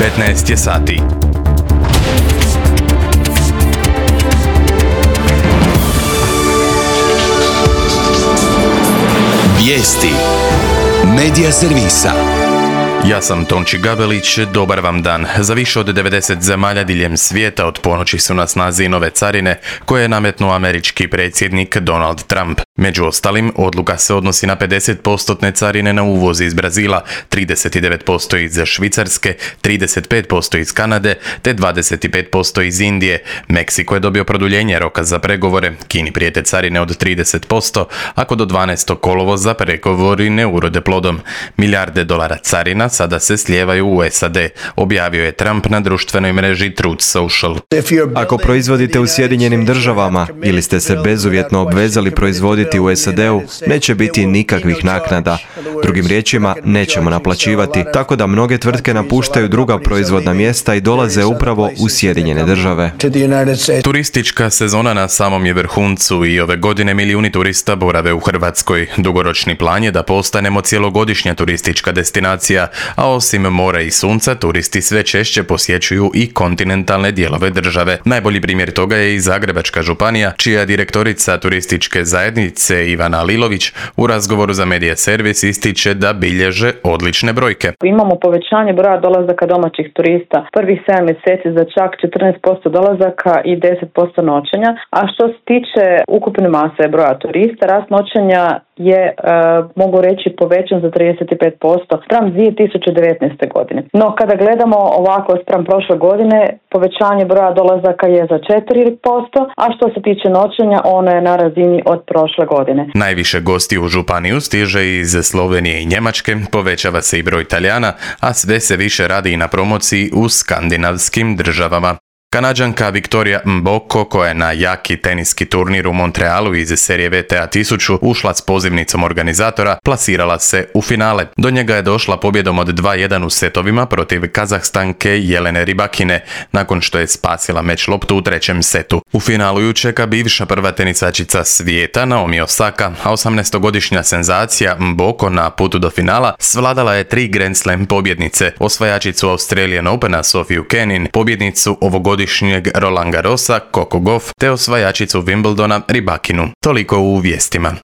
15 je sati. Vijesti Medija servisa. Ja sam Tonči Gabelić, dobar vam dan. Za više od 90 zemalja diljem svijeta od ponoći su na snazi nove carine koje je nametnuo američki predsjednik Donald Trump. Među ostalim, odluka se odnosi na 50% carine na uvoz iz Brazila, 39% iz Švicarske, 35% iz Kanade te 25% iz Indije. Meksiko je dobio produljenje roka za pregovore, Kini prijete carine od 30%, ako do 12. kolovoza pregovori ne urode plodom. Milijarde dolara carina sada se slijevaju u SAD, objavio je Trump na društvenoj mreži Truth Social. Ako proizvodite u Sjedinjenim državama ili ste se bezuvjetno obvezali proizvoditi u SAD-u, neće biti nikakvih naknada. Drugim riječima, nećemo naplaćivati, tako da mnoge tvrtke napuštaju druga proizvodna mjesta i dolaze upravo u Sjedinjene države. Turistička sezona na samom je vrhuncu i ove godine milijuni turista borave u Hrvatskoj. Dugoročni plan je da postanemo cjelogodišnja turistička destinacija, a osim mora i sunca, turisti sve češće posjećuju i kontinentalne dijelove države. Najbolji primjer toga je i Zagrebačka županija, čija direktorica turističke zajednice Ivana Lilović u razgovoru za Medija servis ističe da bilježe odlične brojke. Imamo povećanje broja dolazaka domaćih turista prvih 7 mjeseci za čak 14% dolazaka i 10% noćenja, a što se tiče ukupne mase broja turista, rast noćenja je, mogu reći, povećan za 35% spram 2019. godine. No, kada gledamo ovako spram prošle godine, povećanje broja dolazaka je za 4%, a što se tiče noćenja, ono je na razini od prošle godine. Najviše gosti u županiju stiže iz Slovenije i Njemačke, povećava se i broj Talijana, a sve se više radi i na promociji u skandinavskim državama. Kanađanka Victoria Mboko, koja je na jaki teniski turnir u Montrealu iz serije WTA 1000 ušla s pozivnicom organizatora, plasirala se u finale. Do njega je došla pobjedom od 2-1 u setovima protiv Kazahstanke Jelene Rybakine, nakon što je spasila meč loptu u trećem setu. U finalu ju čeka bivša prva tenisačica svijeta Naomi Osaka, a 18-godišnja senzacija Mboko na putu do finala svladala je 3 Grand Slam pobjednice, osvajačicu Australian Opena Sofiju Kenin, pobjednicu ovogodišnjeg Roland Garrosa Coco Gauff te osvajačicu Wimbledona Rybakinu. Toliko u vijestima.